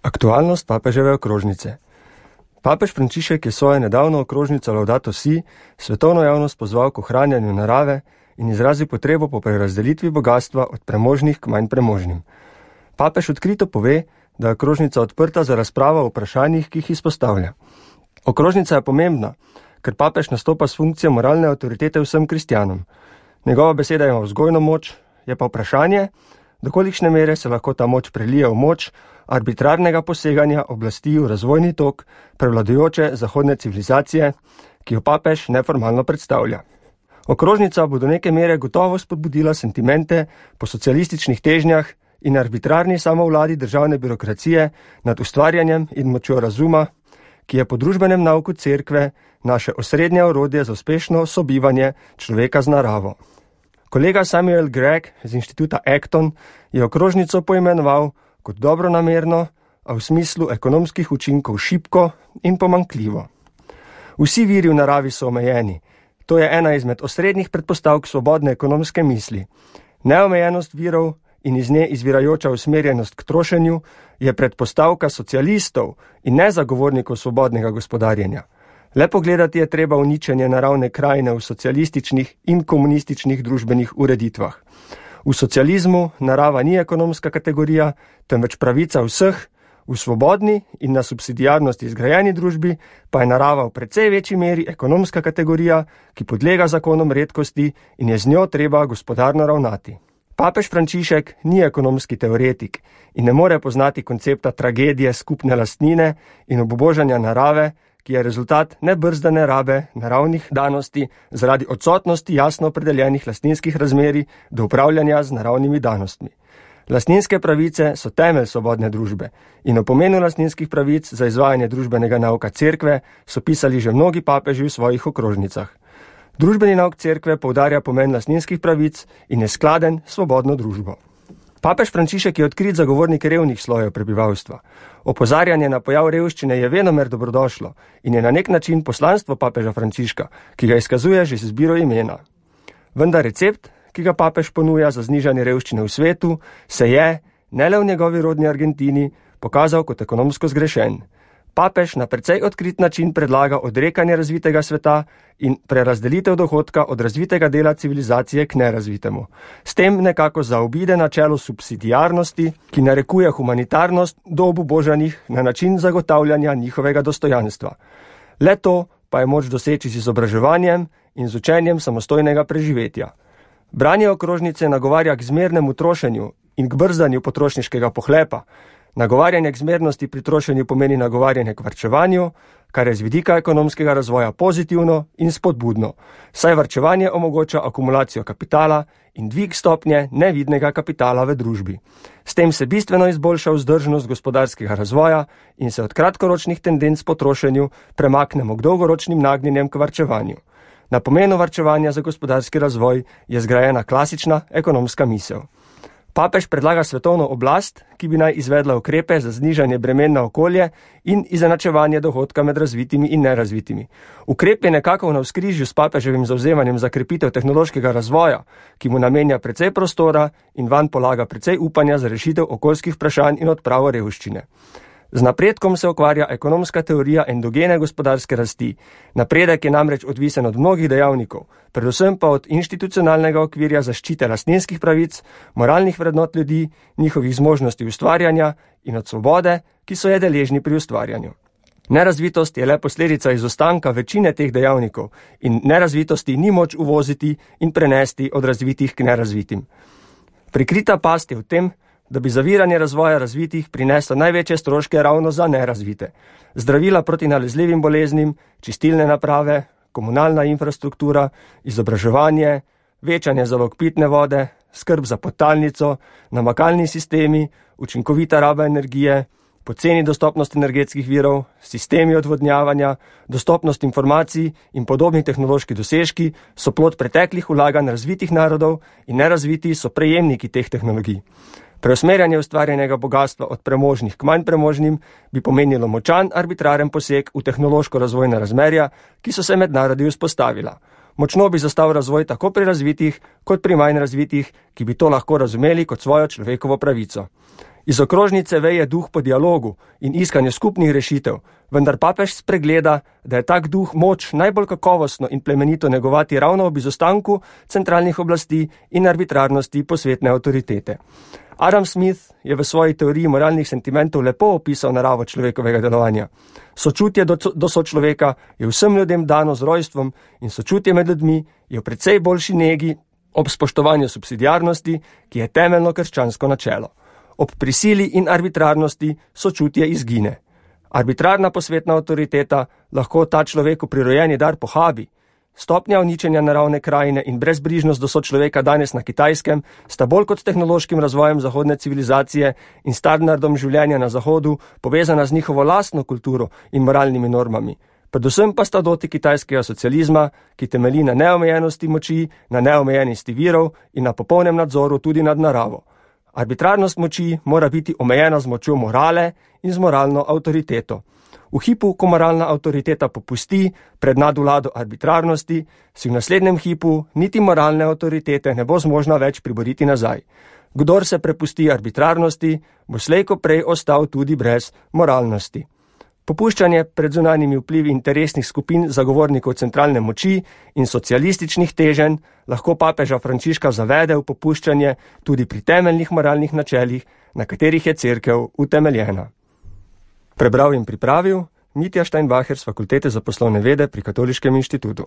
Aktualnost papeževe okrožnice. Papež Frančišek je svojo nedavno okrožnico Laudato Si svetovno javnost pozval k ohranjanju narave in izrazil potrebo po prerazdelitvi bogatstva od premožnih k manj premožnim. Papež odkrito pove, da je okrožnica odprta za razpravo o vprašanjih, ki jih izpostavlja. Okrožnica je pomembna, ker papež nastopa s funkcijo moralne avtoritete vsem kristjanom. Njegova beseda ima vzgojno moč, je pa vprašanje, do kolikšne mere se lahko ta moč prelije v moč arbitrarnega poseganja oblasti v razvojni tok prevladujoče zahodne civilizacije, ki jo papež neformalno predstavlja. Okrožnica bo do neke mere gotovo spodbudila sentimente po socialističnih težnjah in arbitrarni samovladi državne birokracije nad ustvarjanjem in močjo razuma, ki je po družbenem nauku cerkve naše osrednje orodje za uspešno sobivanje človeka z naravo. Kolega Samuel Gregg z inštituta Acton je okrožnico poimenoval kot dobronamerno, a v smislu ekonomskih učinkov šibko in pomanjkljivo. Vsi viri v naravi so omejeni. To je ena izmed osrednjih predpostavk svobodne ekonomske misli. Neomejenost virov in iz nje izvirajoča usmerjenost k trošenju je predpostavka socialistov in ne zagovornikov svobodnega gospodarjenja. Le pogledati je treba uničenje naravne krajine v socialističnih in komunističnih družbenih ureditvah. V socializmu narava ni ekonomska kategorija, temveč pravica vseh, v svobodni in na subsidiarnosti izgrajeni družbi pa je narava v precej večji meri ekonomska kategorija, ki podlega zakonom redkosti in je z njo treba gospodarno ravnati. Papež Frančišek ni ekonomski teoretik in ne more poznati koncepta tragedije skupne lastnine in obubožanja narave, ki je rezultat nebrzdane rabe naravnih danosti zaradi odsotnosti jasno opredeljenih lastninskih razmerij do upravljanja z naravnimi danostmi. Lastninske pravice so temelj svobodne družbe in o pomenu lastninskih pravic za izvajanje družbenega nauka cerkve so pisali že mnogi papeži v svojih okrožnicah. Družbeni nauk cerkve poudarja pomen lastninskih pravic in je skladen s svobodno družbo. Papež Frančišek je odkrit zagovornik revnih slojev prebivalstva. Opozarjanje na pojav revščine je venomer dobrodošlo in je na nek način poslanstvo papeža Frančiška, ki ga izkazuje že z izbiro imena. Vendar recept, ki ga papež ponuja za znižanje revščine v svetu, se je, ne le v njegovi rodni Argentini, pokazal kot ekonomsko zgrešen. Papež na precej odkrit način predlaga odrekanje razvitega sveta in prerazdelitev dohodka od razvitega dela civilizacije k nerazvitemu. S tem nekako zaobide načelo subsidiarnosti, ki narekuje humanitarnost do obubožanih na način zagotavljanja njihovega dostojanstva. Le to pa je moč doseči z izobraževanjem in z učenjem samostojnega preživetja. Branje okrožnice nagovarja k zmernemu trošenju in k brzdanju potrošniškega pohlepa. Nagovarjanje k zmernosti pri trošenju pomeni nagovarjanje k varčevanju, kar je z vidika ekonomskega razvoja pozitivno in spodbudno, saj varčevanje omogoča akumulacijo kapitala in dvig stopnje nevidnega kapitala v družbi. S tem se bistveno izboljša vzdržnost gospodarskega razvoja in se od kratkoročnih tendenc po trošenju premaknemo k dolgoročnim nagnjenjem k varčevanju. Na pomenu varčevanja za gospodarski razvoj je zgrajena klasična ekonomska misel. Papež predlaga svetovno oblast, ki bi naj izvedla ukrepe za znižanje bremen na okolje in izenačevanje dohodka med razvitimi in nerazvitimi. Ukrep je nekako v navzkrižju s papeževim zavzemanjem za krepitev tehnološkega razvoja, ki mu namenja precej prostora in vanj polaga precej upanja za rešitev okoljskih vprašanj in odpravo revščine. Z napredkom se ukvarja ekonomska teorija endogene gospodarske rasti. Napredek je namreč odvisen od mnogih dejavnikov, predvsem pa od institucionalnega okvirja zaščite lastninskih pravic, moralnih vrednot ljudi, njihovih zmožnosti ustvarjanja in od svobode, ki so je deležni pri ustvarjanju. Nerazvitost je le posledica izostanka večine teh dejavnikov in nerazvitosti ni moč uvoziti in prenesti od razvitih k nerazvitim. Prikrita past je v tem, da bi zaviranje razvoja razvitih prineslo največje stroške ravno za nerazvite. Zdravila proti nalezljivim boleznim, čistilne naprave, komunalna infrastruktura, izobraževanje, večanje zalog pitne vode, skrb za podtalnico, namakalni sistemi, učinkovita raba energije, poceni dostopnost energetskih virov, sistemi odvodnjavanja, dostopnost informacij in podobni tehnološki dosežki so plod preteklih vlaganj razvitih narodov in nerazviti so prejemniki teh tehnologij. Preusmerjanje ustvarjenega bogatstva od premožnih k manj premožnim bi pomenilo močan arbitraren poseg v tehnološko-razvojna razmerja, ki so se med narodi vzpostavila. Močno bi zastal razvoj tako pri razvitih kot pri manj razvitih, ki bi to lahko razumeli kot svojo človekovo pravico. Iz okrožnice veje duh po dialogu in iskanju skupnih rešitev, vendar papež spregleda, da je tak duh moč najbolj kakovostno in plemenito negovati ravno ob izostanku centralnih oblasti in arbitrarnosti posvetne avtoritete. Adam Smith je v svoji teoriji moralnih sentimentov lepo opisal naravo človekovega delovanja. Sočutje do sočloveka je vsem ljudem dano z rojstvom in sočutje med ljudmi je v precej boljši negi ob spoštovanju subsidiarnosti, ki je temeljno krščansko načelo. Ob prisili in arbitrarnosti sočutje izgine. Arbitrarna posvetna avtoriteta lahko ta človeku prirojeni dar pohabi. Stopnja uničenja naravne krajine in brezbrižnost do sočloveka danes na Kitajskem sta bolj kot s tehnološkim razvojem zahodne civilizacije in standardom življenja na Zahodu povezana z njihovo lastno kulturo in moralnimi normami. Predvsem pa sta doti kitajskega socializma, ki temelji na neomejenosti moči, na neomejenosti virov in na popolnem nadzoru tudi nad naravo. Arbitrarnost moči mora biti omejena z močjo morale in z moralno avtoriteto. V hipu, ko moralna avtoriteta popusti pred nadvlado arbitrarnosti, si v naslednjem hipu niti moralne avtoritete ne bo zmožna več priboriti nazaj. Kdor se prepusti arbitrarnosti, bo slej ko prej ostal tudi brez moralnosti. Popuščanje pred zunanjimi vplivi interesnih skupin zagovornikov centralne moči in socialističnih teženj lahko papeža Frančiška zavede v popuščanje tudi pri temeljnih moralnih načelih, na katerih je cerkev utemeljena. Prebral in pripravil Mitja Steinbacher z Fakultete za poslovne vede pri Katoliškem inštitutu.